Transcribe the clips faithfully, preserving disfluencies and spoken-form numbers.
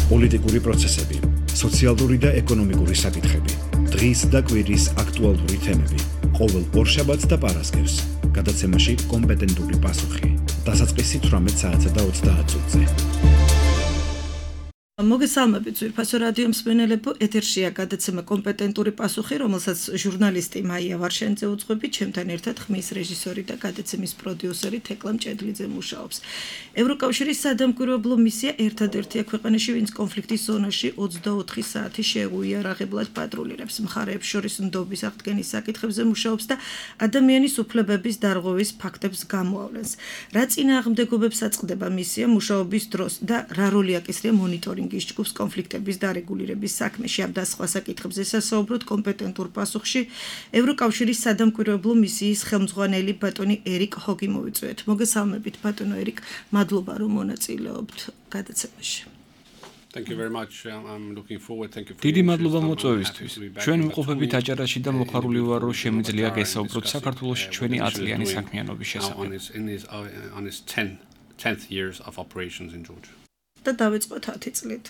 პოლიტიკური პროცესები, სოციალური და ეკონომიკური საკითხები, დღის და კვირის აქტუალური თემები, ყოველ ორშაბათს და პარასკევს, გადაცემაში კომპეტენტური პასუხი, დასაწყისი თვრამეტ საათსა და ოცდაათ წუთზე. მოგესალმებით ძვირფასო რადიო მსმენელებო, ეთერშია გადაცემა კომპეტენტური პასუხი, რომელსაც ჟურნალისტი მაია ვარშენიძე უძღვები, ჩემთან ერთად ხმის რეჟისორი და გადაცემის პროდიუსერი თეკლა მჭედლიძე მუშაობს. ევროკავშირის სადამკვირვებლო მისია ერთადერთია ქვეყანაში, ვინც კონფლიქტის ზონაში ოცდაოთხი საათი შეუიარაღებლად პატრულირებს, მხარეებს შორის ნდობის აღდგენის საკითხებზე მუშაობს და ადამიანის უფლებების დარღვევის ფაქტებს გამოავლენს. რა წინააღმდეგობებს აწყდება მისია მუშაობის დროს და რა როლი აკისრია მონიტორინგ ჯგუფს კონფლიქტების დარეგულირების საქმეში, ამ და სხვა საკითხებზე სასაუბროთ კომპეტენტურ პასუხში ევროკავშირის სადამკვირვებლო მისიის ხელმძღვანელი ბატონი ერიკ ჰოგი მოვიწვიეთ. მოგესალმებით ბატონო ერიკ, მადლობა რომ მონაწილეობთ გადაცემაში. Thank you very much. I'm looking forward. Thank you for დიდი მადლობა მოწვევისთვის. ჩვენ ვიმყოფებით აჭარაში და მოხარული ვარ, რომ შემიძლია გესაუბროთ საქართველოში ჩვენი ათწლიანი საქმიანობის შესახებ. on his tenth years of operations in Georgia. და დავიწყოთ ათი წლით.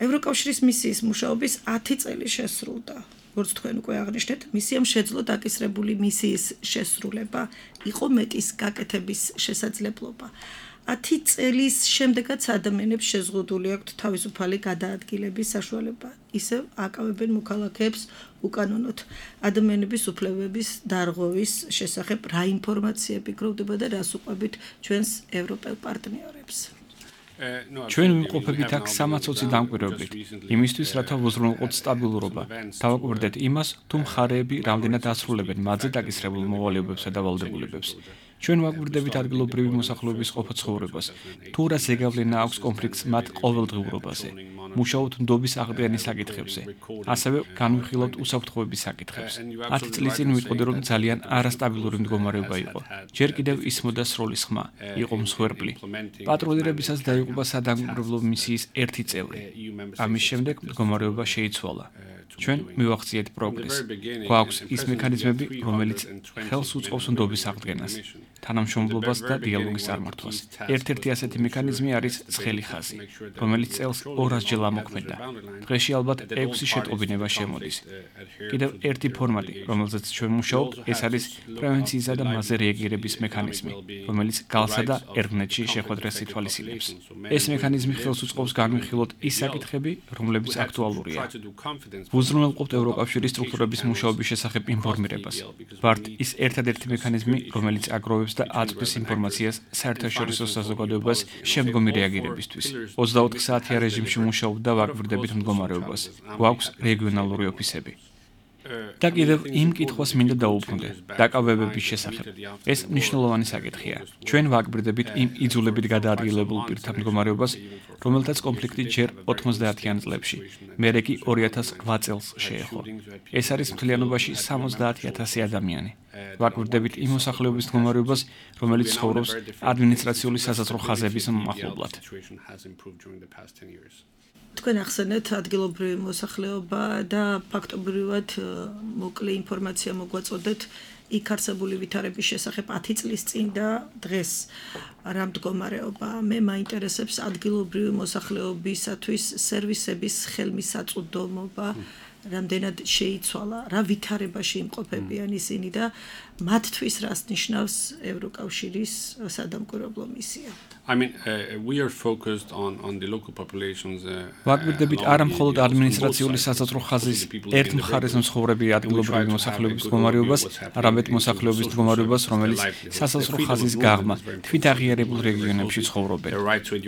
ევროკავშირის მისიის მუშაობის ათი წელი შესრულდა. როგორც თქვენ უკვე აღნიშნეთ, მისიამ შეძლო დაკისრებული მისიის შესრულება, იყო მეტის გაკეთების შესაძლებლობა. ათი წელის შემდეგაც ადამიანებს შეზღუდული აქვთ თავისუფალი გადაადგილების საშუალება. ისევ აკავებენ მოქალაქეებს უკანონოდ. ადამიანების უფლებების დარღვევის შესახებ რა ინფორმაციები გროვდება და რას უყვებით ჩვენს ევროპელ პარტნიორებს? ჩვენ ვიმყოფებით აქ სამოცი დამკვირვებლით, იმისთვის, რათა ვუზრუნველყოთ სტაბილურობა. დავაკვირდეთ იმას, თუ მხარეები რამდენად ასრულებენ მათზე დაკისრებულ მოვალეობებსა და ვალდებულებებს. ჩვენ ვაკვირდებით ადგილობრივი მოსახლეობის ყოფა-ცხოვრებას, თუ რა ზეგავლენა აქვს კონფლიქტს მათ ყოველდღიურობაზე. მუშაობთ ნდობის აღდგენის საკითხებზე. ასევე განვიხილავთ უსაფრთხოების საკითხებს. ათი წლის წინ ვიტყოდი, რომ ძალიან არასტაბილური მდგომარეობა იყო. ჯერ კიდევ ისმოდა სროლის ხმა, იყო მსხვერპლი. პატრულირებისას დაიღუპა სადამკვირვებლო მისიის ერთი წევრი. ამის შემდეგ მდგომარეობა შეიცვალა. ჩვენ მივახციეთ პროგრესს. გვაქვს ის მექანიზმები, რომელიც ხელს უწყობს ნდობის აღდგენას, თანამშრომლობას და დიალოგის წარმართვას. ერთ-ერთი ასეთი მექანიზმი არის ცხელი ხაზი, რომელიც წელს ორასჯერ ამოქმედდა. დღეში ალბათ ექვსი შეტყობინება შემოდის. კიდევ ერთი ფორმატი, რომელზეც ჩვენ მუშაობთ, ეს არის პრევენციისა და მასზე რეაგირების მექანიზმი, რომელიც გალსა და ერგნეტში შეხვედრას ითვალისწინებს. ეს მექანიზმი ხელს უწყობს განვიხილოთ ის საკითხები, რომლებიც აქტუალურია. ვუზრუნველყოფთ ევროკავშირის სტრუქტურების მუშაობის შესახებ ინფორმირებას. ვართ ის ერთადერთი მექანიზმი, რომელიც აგროვებს და აწვდის ინფორმაციას საერთაშორისო საზოგადოებას შემდგომი რეაგირებისთვის. ოცდაოთხი საათიან რეჟიმში მუშაობთ და ვაკვირდებით მდგომარეობას. გვაქვს რეგიონალური ოფისები. და კიდევ იმ კითხვას მინდა დაუბრუნდე, დაკავებების შესახებ. ეს მნიშვნელოვანი საკითხია. ჩვენ ვაკვირდებით იმ იძულებით გადაადგილებულ პირთა მდგომარეობას, რომელთაც კონფლიქტი ჯერ ოთხმოცდაათიან წლებში, მერე კი ორი ათას ოთხ წელს შეეხო. ეს არის მთლიანობაში სამოცდაათი ათასი ადამიანი. ვაკვირდებით იმ მოსახლეობის მდგომარეობას, რომელიც ცხოვრობს ადმინისტრაციული სასაზღვრო ხაზების მახლობლად. თქვენ ახსენეთ ადგილობრივი მოსახლეობა და ფაქტობრივად მოკლე ინფორმაცია მოგვაწოდეთ იქ არსებული ვითარების შესახებ ათი წლის წინ და დღეს რა მდგომარეობა. მე მაინტერესებს ადგილობრივი მოსახლეობისათვის სერვისების ხელმისაწვდომობა, რამდენად შეიცვალა, რა ვითარებაში იმყოფებიან ისინი და მათთვის რას ნიშნავს ევროკავშირის სადამკვირვებლო მისია. I mean, uh, we are focused on on the local populations. ვაკვირდებით არა მხოლოდ ადმინისტრაციული სასაზღვრო ხაზის ერთ მხარეს მცხოვრები ადგილობრივი მოსახლეობის მდგომარეობას, არამედ მოსახლეობის მდგომარეობას, რომელიც სასაზღვრო ხაზის გაღმა თვითაღიარებულ რეგიონებში ცხოვრობენ.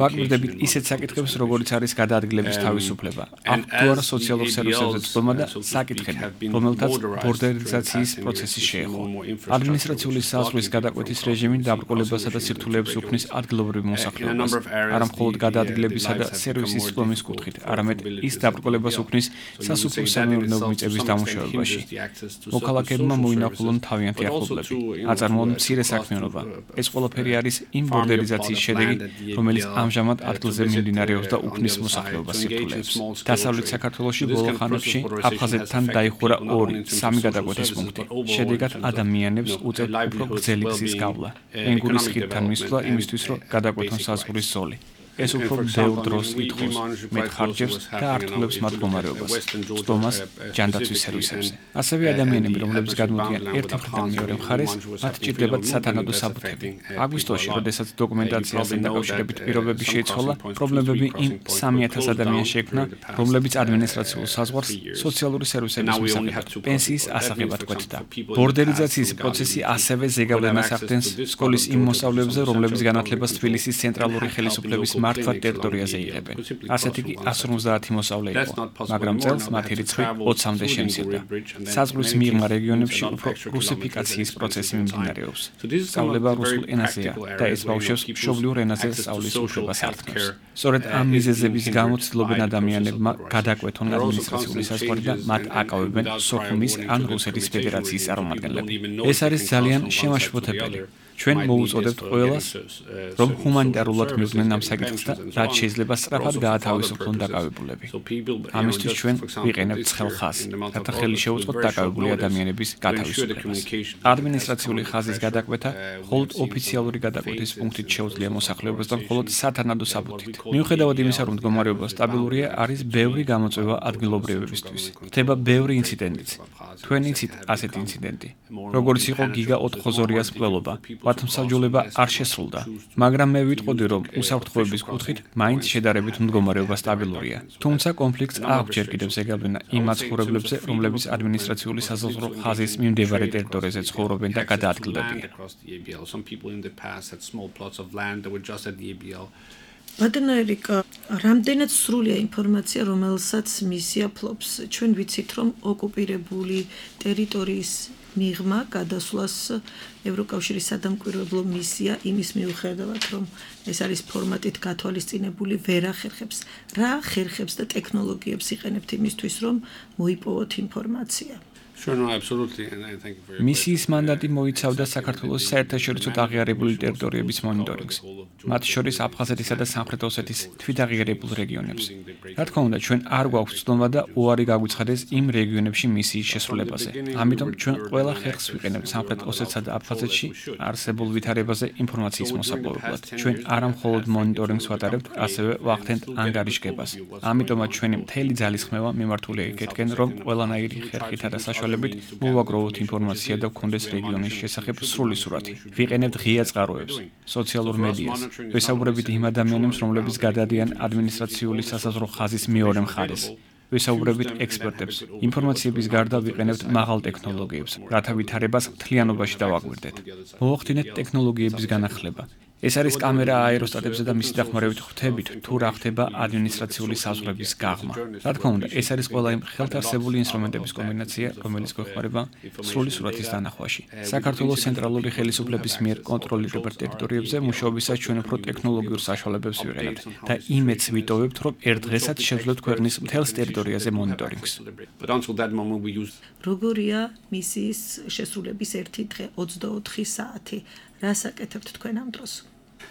ვაკვირდებით ისეთ საკითხებს, როგორიც არის გადაადგილების თავისუფლება, აქტუალურ სოციალურ სერვისებზე წვდომა და საკითხები, რომელთაც ბორდერიზაციის პროცესი შეეხო. ადმინისტრაციული საზღვრის გადაკვეთის რეჟიმი დაბრკოლებასა და სირთულეებს უქმნის ადგილობრივ მოსახლეობას, არა მხოლოდ გადაადგილებისა და სერვისის წვდომის კუთხით, არამედ ის დაბრკოლებას უქმნის სასოფლო-სამეურნეო მიწების დამუშავებაში. მოქალაქეებმა მოინახულონ თავიანთი ახლობლები, აწარმოონ მცირე საქმიანობა. ეს ყველაფერი არის იმ ბორდერიზაციის შედეგი, რომელიც ამჟამად ადგილზე მიმდინარეობს და უქმნის მოსახლეობას სირთულეებს. დასავლეთ საქართველოში ბოლო ხანებში აფხაზეთთან დაიხურა ორი, სამი გადაკვეთის პუნქტი. შედეგად ადამიანებს უწევთ უფრო გრძელი გზის გავლა. ენგურის ხიდთან მისვლა იმისთვის, რომ გადაკვეთონ საზღვრის ზოლი. ეს უფრო ბევრ დროს ითხოვს, მეტ ხარჯებს და ართულებს მათ მდგომარეობას, სტომას ჯანდაცვის სერვისებზე. ასევე ადამიანები, რომლებიც გადმოდიან ერთი მხრიდან მეორე მხარეს, მათ ჭირდებათ სათანადო საბუთები. აგვისტოში, როდესაც დოკუმენტაციასთან დაკავშირებით პირობები შეიცვალა, პრობლემები იმ სამი ათას ადამიანს შეექმნა, რომლებიც ადმინისტრაციულ საზღვარს სოციალური სერვისების მისაღებად, პენსიის ასაღებად კვეთდა. ბორდერიზაციის პროცესი ასევე ზეგავლენას ახდენს სკოლის იმ მოსწავლეებზე, რომლებიც განათლებას თბილისის ცენტრალური ხელისუფლების მართვა ტერიტორიაზე იღებენ. ასეთი კი ასი ორმოცდაათი მოსწავლე იყო, მაგრამ წელს მათი რიცხვი ოცამდე შემცირდა. საზღვრის მიღმა რეგიონებში უფრო რუსიფიკაციის პროცესი მიმდინარეობს. სწავლება რუსულ ენაზეა და ეს ბავშვებს მშობლიურ ენაზე სწავლის უფლებას ართმევს. სწორედ ამ მიზეზების გამო ცდილობენ ადამიანებმა გადაკვეთონ ადმინისტრაციული საზღვარი და მათ აკავებენ სოხუმის ან რუსეთის ფედერაციის წარმომადგენლები. ეს არის ძალიან შემაშფოთებელი. ჩვენ მოუწოდებთ ყველას, რომ ჰუმანიტარულად მივიდნენ ამ საკითხს და რაც შეიძლება სწრაფად გაათავისუფლონ დაკავებულები. ამისთვის ჩვენ ვიყენებთ ცხელ ხაზს, რათა ხელი შეუწყოთ დაკავებული ადამიანების გათავისუფლებას. ადმინისტრაციული ხაზის გადაკვეთა მხოლოდ ოფიციალური გადაკვეთის პუნქტით შეუძლია მოსახლეობასთან მხოლოდ სათანადო საბუთით. მიუხედავად იმისა, რომ მდგომარეობა სტაბილურია, არის ბევრი გამოწვევა ადგილობრივებისთვის. ხდება ბევრი ინციდენტიც. თქვენ იცით ასეთი ინციდენტი, როგორც იყო გიგა ოთხხოზორიას მკვლელობა. მათმსაჯულება არ შესრულდა, მაგრამ მე ვიტყოდი, რომ უსაფრთხოების კუთხით მაინც შედარებით მდგომარეობა სტაბილურია. თუმცა კონფლიქტს აქვს ჯერ კიდევ ზეგავლენა იმ მაცხოვრებლებზე, რომლებიც ადმინისტრაციული საზღვაო ხაზის მიმდებარე ტერიტორიაზე ცხოვრობენ და გადაადგილდებიან. ბატონო ერიკა, რამდენად სრულია ინფორმაცია, რომელსაც მისია ფლობს. ჩვენ ვიცით, რომ ოკუპირებული ტერიტორიის მიღმა გადასვლას ევროკავშირის სადამკვირვებლო მისია იმის მიუხედავად, რომ ეს არის ფორმატით გათვალისწინებული, ვერ ახერხებს. რა ახერხებს და ტექნოლოგიებს იყენებთ იმისთვის, რომ მოიპოვოთ ინფორმაცია? Sure, no, absolutely, and I thank you for your მისიის მანდატი მოიცავდა საქართველოს საერთაშორისო აღიარებული ტერიტორიების მონიტორინგს, მათ შორის აფხაზეთისა და სამხრეთ ოსეთის თვითაღიარებულ რეგიონებს. რა თქმა უნდა, ჩვენ არ გვაქვს ცდომა და უარი გაგვიცხადეს იმ რეგიონებში მისიის შესრულებაზე. ამიტომ ჩვენ ყველა ხერხს ვიყენებთ სამხრეთ ოსეთსა და აფხაზეთში არსებულ ვითარებაზე ინფორმაციის მოსაპოვებლად. ჩვენ არა მხოლოდ მონიტორინგს ვატარებთ, ასევე ვახდენთ ანგარიშგებას. ამიტომაც ჩვენი მთელი ძალისხმევა მიმართულია იქეთკენ, რომ ყველანაირი ხერხითა და საშუალებით მოვაგროვოთ ინფორმაცია და გქონდეს რეგიონის შესახებ სრული სურათი. ვიყენებთ ღია წყაროებს, სოციალურ მედიას, ვესაუბრებით იმ ადამიანებს, რომლებიც გადადიან ადმინისტრაციული სასაზღვრო ხაზის მეორე მხარეს. ვესაუბრებით ექსპერტებს. ინფორმაციების გარდა ვიყენებთ მაღალ ტექნოლოგიებს, რათა ვითარებას მთლიანობაში დავაკვირდეთ. მოვახდინეთ ტექნოლოგიების განახლება. ეს არის კამერა აეროსტატებზე და მისი დახმარებით ხვდებით, თუ რა ხდება ადმინისტრაციული საზღვრების გაღმა. რა თქმა უნდა, ეს არის ყველა იმ ხელთარსებული ინსტრუმენტების კომბინაცია, რომელიც გვეხმარება სრული სურათის დანახვაში. საქართველოს ცენტრალური ხელისუფლების მიერ კონტროლირებულ ტერიტორიებზე მუშაობისას ჩვენ უფრო ტექნოლოგიურ საშუალებებს ვიყენებთ და იმედს ვიტოვებთ, რომ ერთ დღესაც შევძლოთ ქვეყნის მთელს ტერიტორიაზე მონიტორინგს. როგორია მისიის შესრულების ერთი დღე ოცდაოთხი საათი? რას აკეთებთ თქვენ ამ დროს?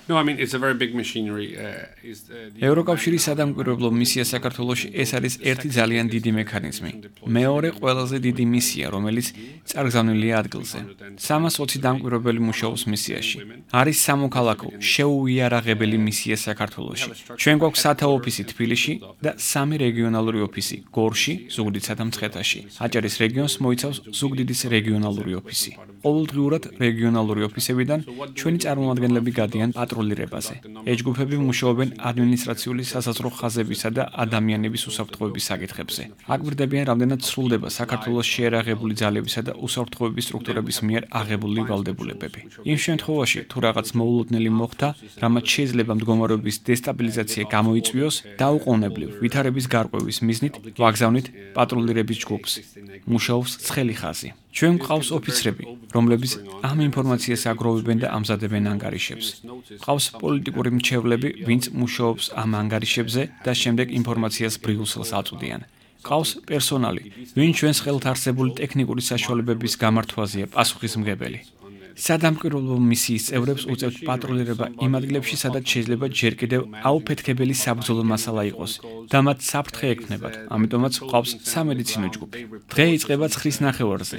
No, I mean it's a very big machinery. Uh, is the ევროკავშირის სადამკვირვებლო მისია საქართველოში ეს არის ერთი ძალიან დიდი მექანიზმი. მეორე ყველაზე დიდი მისია, რომელიც წარგზავნილია ადგილზე. სამას ოცი დამკვირვებელი მუშაობს მისიაში. არის სამოქალაქო შეუიარაღებელი მისია საქართველოში. ჩვენ გვაქვს სათა ოფისი თბილისში და სამი რეგიონალური ოფისი გორში, ზუგდიდსა და მცხეთაში. აჭარის რეგიონს მოიცავს ზუგდიდის რეგიონალური ოფისი. ყოველდღიურად რეგიონალური ოფისებიდან ჩვენი წარმომადგენლები გადიან პატრულირებაზე. ეჯგუფები მუშაობენ ადმინისტრაციული სასაზღვრო ხაზებისა და ადამიანების უსაფრთხოების საკითხებზე. აკვირდებიან, რამდენად სრულდება საქართველოს შეერაღებული ძალებისა და უსაფრთხოების სტრუქტურების მიერ აღებული ვალდებულებები. იმ შემთხვევაში, თუ რაღაც მოულოდნელი მოხდა, რამაც შეიძლება მდგომარეობის დესტაბილიზაცია გამოიწვიოს, დაუყოვნებლივ ვითარების გარკვევის მიზნით ვაგზავნით პატრულირების ჯგუფს. მუშაობს ცხელი ხაზი. ჩვენ გვყავს ოფიცრები, რომლებიც ამ ინფორმაციას აგროვებენ და ამზადებენ ანგარიშებს. ყავს პოლიტიკური მრჩევლები, ვინც მუშაობს ამ ანგარიშებზე და შემდეგ ინფორმაციას ბრიუსელს აწვდიან. ყავს პერსონალი, ვინც ჩვენს ხელთ არსებული ტექნიკური საშუალებების გამართვაზეა პასუხისმგებელი. სადამკვირვებლო მისიის წევრებს უწევთ პატრულირება იმ ადგილებში, სადაც შეიძლება ჯერ კიდევ აუფეთქებელი საბრძოლო მასალა იყოს და მათ საფრთხე ექმნებათ. ამიტომაც ყავს სამედიცინო ჯგუფი. დღე იწყება ცხრის ნახევარზე.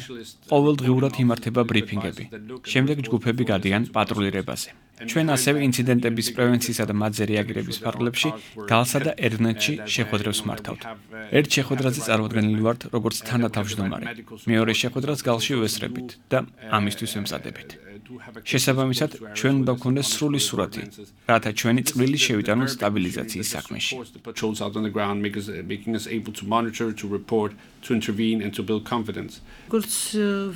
ყოველდღიურად იმართება ბრიფინგები. შემდეგ ჯგუფები გადიან პატრულირებაზე. ჩვენ ასევე ინციდენტების პრევენციისა და მათზე რეაგირების ფარგლებში გალსა და ერნეტში შეხვედრებს მართავთ. ერთ შეხვედრაზე წარმოდგენილი ვართ როგორც თანათავმჯდომარე. მეორე შეხვედრას გალში ვესწრებით და ამისთვის ვემზადებით. შესაბამისად, ჩვენ უნდა გვქონდეს სრული სურათი, რათა ჩვენი წვლილი შევიტანოთ სტაბილიზაციის საქმეში. To intervene and to build confidence. როგორც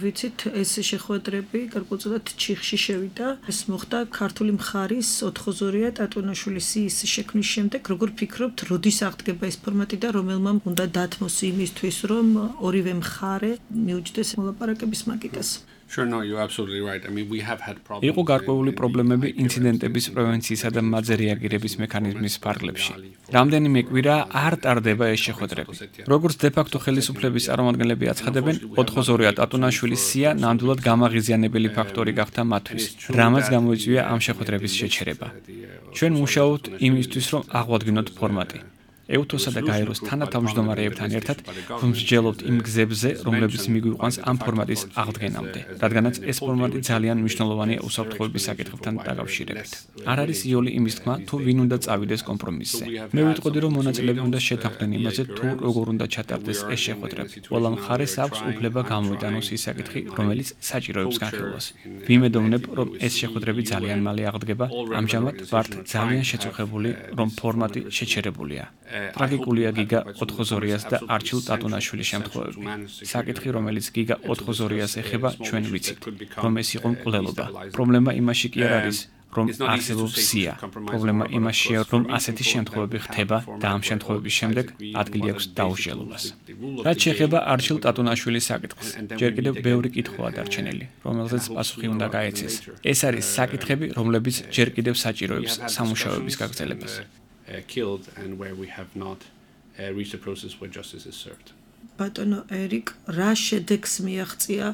ვიცით, ეს შეხვედრები გარკვეულწილად ჩიხში შევიდა. ეს მოხდა ქართული მხარის ოთხოზორია ტატუნაშვილის სიის შექმნის შემდეგ. როგორ ფიქრობთ, როდის აღდგება ეს ფორმატი და რომელმა უნდა დათმოს იმისთვის, რომ ორივე მხარე მიუჯდეს მოლაპარაკების მაგიდას? Sure, no, you're absolutely right. I mean, we have had problems. იყო გარკვეული პრობლემები ინციდენტების პრევენციისა და მათზე რეაგირების მექანიზმის ფარგლებში. რამდენიმე კვირა არ ტარდება ეს შეხვედრები. როგორც დე-ფაქტო ხელისუფლების წარმომადგენლები აცხადებენ, ოთხოზორია ტატუნაშვილის სია ნამდვილად გამაღიზიანებელი ფაქტორი გახდა მათთვის, რამაც გამოიწვია ამ შეხვედრების შეჩერება. ჩვენ მუშაობთ იმისთვის, რომ აღვადგინოთ ფორმატი. ევთოსა და გაეროს თანათავმჯდომარეებთან ერთად ვმსჯელობთ იმ გზებზე, რომლებიც მიგვიყვანს ამ ფორმატის აღდგენამდე, რადგანაც ეს ფორმატი ძალიან მნიშვნელოვანია უსაფრთხოების საკითხებთან დაკავშირებით. არ არის იოლი იმის თქმა, თუ ვინ უნდა წავიდეს კომპრომისზე. მე ვიტყოდი, რომ მონაწილეები უნდა შეთანხმდნენ იმაზე, თუ როგორ უნდა ჩატარდეს ეს შეხვედრები. ყველა მხარეს აქვს უფლება გამოიტანოს ის საკითხი, რომელიც საჭიროებს განხილვას. ვიმედოვნებ, რომ ეს შეხვედრები ძალიან მალე აღდგება. ამჟამად ვართ ძალიან შეწუხებული, რომ ფორმატი შეჩერებულია. ტრაგიკულია გიგა ოთხოზორიას და არჩილ ტატუნაშვილის შემთხვევები. საკითხი, რომელიც გიგა ოთხოზორიას ეხება, ჩვენ ვიცით, რომ ეს იყო მკვლელობა. პრობლემა იმაში კი არ არის, რომ არსებობს სია. პრობლემა იმაშია, რომ ასეთი შემთხვევები ხდება და ამ შემთხვევების შემდეგ ადგილი აქვს დაუსჯელობას. რაც შეეხება არჩილ ტატუნაშვილის საკითხს, ჯერ კიდევ ბევრი კითხვაა დარჩენილი, რომელზეც პასუხი უნდა გაეცეს. ეს არის საკითხები, რომლებიც ჯერ კიდევ საჭიროებს სამუშაოების გაგრძელებას. Uh, killed and where we have not uh, reached a process where justice is served. ბატონო ერიკ, რა შედეგს მიაღწია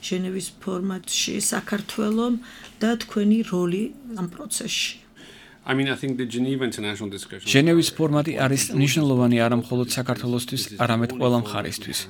ჟენევის ფორმატში საქართველომ და თქვენი როლი ამ პროცესში? I mean, I think the Geneva International Discussion. ჟენევის ფორმატი არის მნიშვნელოვანი არა მხოლოდ საქართველოსთვის, არამედ ყველა მხარისთვის.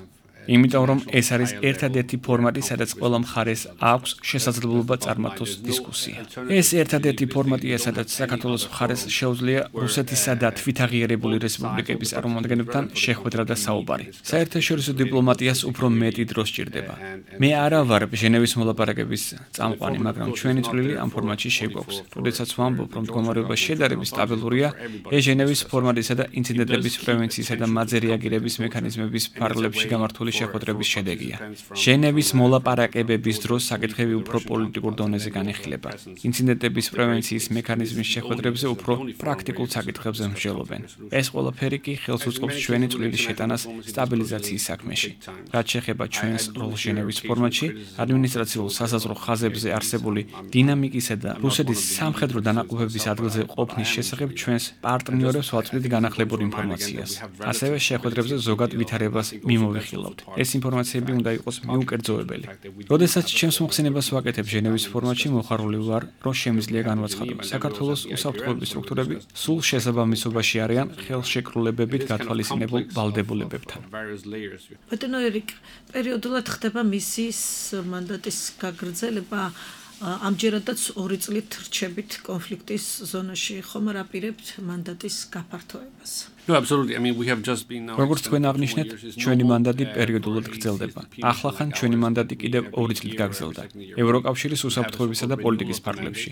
იმიტომ რომ ეს არის ერთადერთი ფორმატი, სადაც ყველა მხარეს აქვს შესაძლებლობა წარმართოს დისკუსია. ეს ერთადერთი ფორმატია, სადაც საქართველოს მხარეს შეუძლია რუსეთისა და თვითაღიარებული რესპუბლიკების წარმომადგენლებთან შეხვედრა და საუბარი. საერთაშორისო დიპლომატიას უფრო მეტი დრო სჭირდება. მე არა ვარ ჟენევის მოლაპარაკების წამყვანი, მაგრამ ჩვენი წვლილი ამ ფორმატში შეგვაქვს. როდესაც ვამბობ, რომ მდგომარეობა შედარებით სტაბილურია, ეს ჟენევის ფორმატისა და ინციდენტების პრევენციისა და მათზე რეაგირების მექანიზმების ფარგლებში გამართული შეხვედრების შედეგია. ჟენევის მოლაპარაკებების დროს საკითხები უფრო პოლიტიკურ დონეზე განიხილება. ინციდენტების პრევენციის მექანიზმის შეხვედრებზე უფრო პრაქტიკულ საკითხებზე მსჯელობენ. ეს ყველაფერი კი ხელს უწყობს ჩვენი წვლილის შეტანას სტაბილიზაციის საქმეში. რაც შეეხება ჩვენს როლს ჟენევის ფორმატში, ადმინისტრაციულ სასაზღვრო ხაზებზე არსებული დინამიკისა და რუსეთის სამხედრო დანაყოფების ადგილზე ყოფნის შესახებ ჩვენს პარტნიორებს ვაწვდით განახლებურ ინფორმაციას. ასევე შეხვედრებზე ზოგად ვითარებას მიმოვიხილავთ. ეს ინფორმაციები უნდა იყოს მიუკერძოებელი. როდესაც ჩემს მოხსენებას ვაკეთებ ჟენევის ფორმატში, მოხარული ვარ, რომ შემიძლია განვაცხადო. საქართველოს უსაფრთხოების სტრუქტურები სულ შესაბამისობაში არიან ხელშეკრულებებით გათვალისწინებულ ვალდებულებებთან. ბატონო ერიკ, პერიოდულად ხდება მისიის მანდატის გაგრძელება. ამჯერადაც ორი წლით რჩებით კონფლიქტის ზონაში, ხომ არ აპირებთ მანდატის გაფართოებას? No, absolutely. I mean, we have just been now. როგორც თქვენ აღნიშნეთ, ჩვენი მანდატი პერიოდულად გრძელდება. ახლა ხან ჩვენი მანდატი კიდევ ორი წლით გაგრძელდა. ევროკავშირის უსაფრთხოებისა და პოლიტიკის ფარგლებში.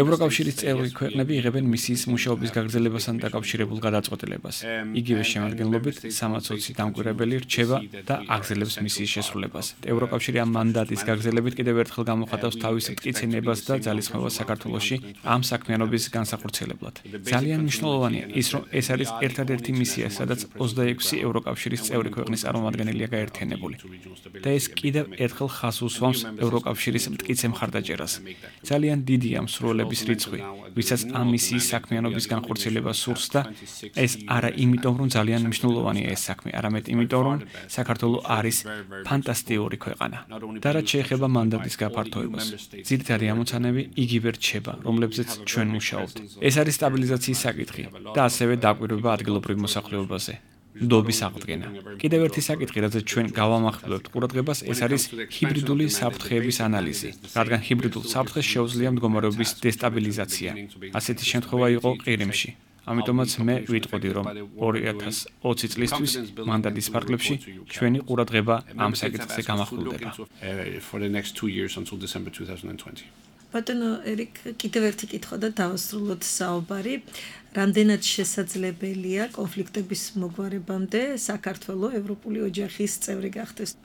ევროკავშირის წევრი ქვეყნები იღებენ მისიის მუშაობის გაგრძელებასთან დაკავშირებულ გადაწყვეტილებას. იგივე შემადგენლობით სამოცი დამკვირვებელი რჩება და აგრძელებს მისიის შესრულებას. ევროკავშირი ამ მანდატის გაგრძელებით კიდევ ერთხელ გამოხატავს თავის მტკიცებას და ძალისხმევას საქართველოში ამ საქმიანობის განსახორციელებლად. ძალიან მნიშვნელოვანია ის, რომ ეს არის ერთადერთი მისია, სადაც ოცდაექვსი ევროკავშირის წევრი ქვეყნის წარმომადგენელია გაერთიანებული. და ეს კიდევ ერთხელ ხაზს უსვამს ევროკავშირის მტკიცე მხარდაჭერას. ძალიან დიდია მსურველების რიცხვი, ვისაც ამ მისიის საქმიანობის განხორციელება სურს და ეს არა იმიტომ, რომ ძალიან მნიშვნელოვანია ეს საქმე, არამედ იმიტომ, რომ საქართველო არის ფანტასტიკური ქვეყანა. და რაც შეეხება მანდატის გაფართოებას, ძირითადი ამოცანები იგივე რჩება, რომლებზეც ჩვენ მუშაობთ. ეს არის სტაბილიზაციის საკითხი და ასევე დაკვირვება ადგილობრივ მოსახლეობაზე. ნდობის აღდგენა. კიდევ ერთი საკითხი, რაზეც ჩვენ გავამახვილებთ ყურადღებას, ეს არის ჰიბრიდული საფრთხეების ანალიზი, რადგან ჰიბრიდულ საფრთხეს შეუძლია მდგომარეობის დესტაბილიზაცია. ასეთი შემთხვევა იყო ყირიმში. ამიტომაც მე ვიტყოდი, რომ ორი ათას ოცი წლისთვის მანდატის ფარგლებში ჩვენი ყურადღება ამ საკითხზე გამახვილდება. ბატონო ერიკ, კიდევ ერთი კითხვა და დავასრულოთ საუბარი. რამდენად შესაძლებელია კონფლიქტების მოგვარებამდე საქართველო ევროპული ოჯახის წევრი გახდეს?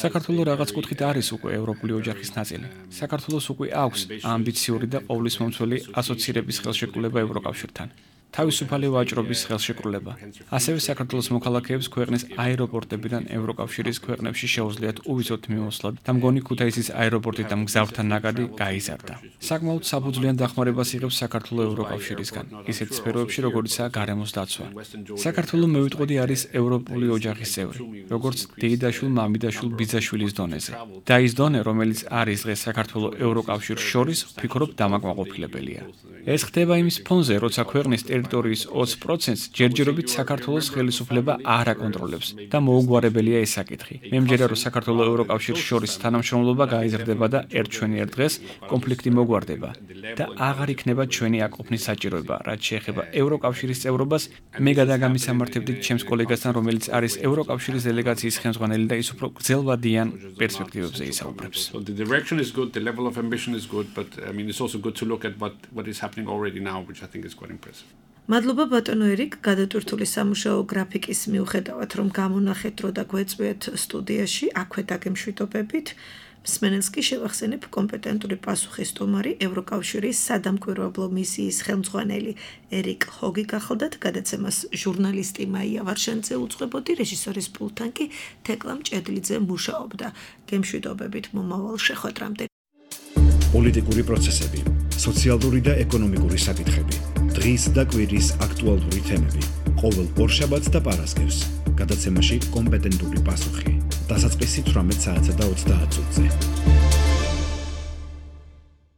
საქართველო რაღაც კუთხით არის უკვე ევროპული ოჯახის ნაწილი. საქართველოს უკვე აქვს ამბიციური და ყოვლისმომცველი ასოცირების ხელშეკრულება ევროკავშირთან. თავისუფალი ვაჭრობის ხელშეკრულება. ასევე საქართველოს მოქალაქეებს ქვეყნის აეროპორტებიდან ევროკავშირის ქვეყნებში შეუძლიათ უვიცოდ მიმოსვლა და მგონი ქუთაისის აეროპორტი და მგზავრთა ნაკადი გაიზარდა. საკმაოდ საფუძვლიან დახმარებას იღებს საქართველოს ევროკავშირისგან, ისეთ სფეროებში, როგორიცაა გარემოს დაცვა. საქართველოს მევიტყოდი არის ევროპული ოჯახის წევრი, როგორც დეიდაშვილ, მამიდაშვილ, ბიძაშვილის დონეზე. და ის დონე, რომელიც არის დღეს საქართველოს ევროკავშირს შორის, ვფიქრობ დამაკმაყოფილებელია. ეს ხდება იმის ფონზე, როცა ქვეყნის ტერიტორიის ოცი პროცენტს ჯერჯერობით საქართველოს ხელისუფლება არ აკონტროლებს და მოუგვარებელია ეს საკითხი. მე მჯერა, რომ საქართველოს ევროკავშირის შორის თანამშრომლობა გაიზრდება და ერთ ჩვენი ერთ დღეს კონფლიქტი მოგვარდება და აღარ იქნება ჩვენი აკოფნის საჭიროება, რაც შეეხება ევროკავშირის წევრობას. მე გადაგამისამართებდი ჩემს კოლეგასთან, რომელიც არის ევროკავშირის დელეგაციის ხელმძღვანელი და ის უფრო გრძელვადიან პერსპექტივებზე ისაუბრებს. The direction is good, the level of ambition is good, but I mean it's also good to look at what what is happening already now, which I think is quite impressive. მადლობა ბატონო ერიკ, გადატვირთული სამუშაო გრაფიკის მიუხედავად, რომ გამონახეთ დრო და გვეწვიეთ სტუდიაში, აქვე დაგემშვიდობებით. მსმენელს კი შევახსენებ კომპეტენტური პასუხის სტუმარი ევროკავშირის სადამკვირვებლო მისიის ხელმძღვანელი ერიკ ჰოგი გახლდათ, გადაცემას ჟურნალისტი მაია ვარშანიძე უძღვებოდი, რეჟისორის პულტთან კი თეკლა მჭედლიძე მუშაობდა. გემშვიდობებით მომავალ შეხვედრამდე. პოლიტიკური პროცესები, სოციალური და ეკონომიკური საკითხები, დღის და კვირის აქტუალური თემები, ყოველ ორშაბათს და პარასკევს, გადაცემაში კომპეტენტური პასუხი. დასაწყისი თვრამეტ საათსა და ოცდაათ წუთზე.